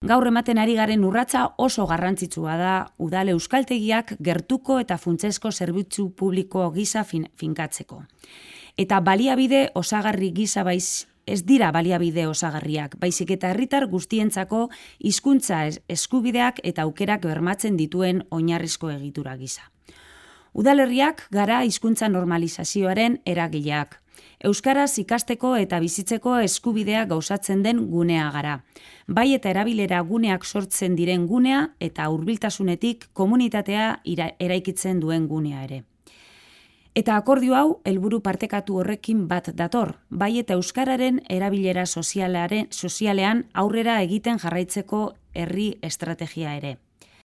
Gaur ematen ari garen urratsa oso garrantzitsua da udal euskaltegiak gertuko eta funtsezko zerbitzu publiko gisa finkatzeko. Eta baliabide osagarri gisa ez dira baliabide osagarriak, baizik eta herritar guztientzako hizkuntza eskubideak eta aukerak bermatzen dituen oinarrizko egitura gisa. Udalerriak gara hizkuntza normalizazioaren eragileak. Euskaraz ikasteko eta bizitzeko eskubidea gauzatzen den gunea gara. Bai eta erabilera guneak sortzen diren gunea eta hurbiltasunetik komunitatea eraikitzen duen gunea ere. Eta akordio hau helburu partekatu horrekin bat dator, bai eta euskararen erabilera sozialean aurrera egiten jarraitzeko herri estrategia ere.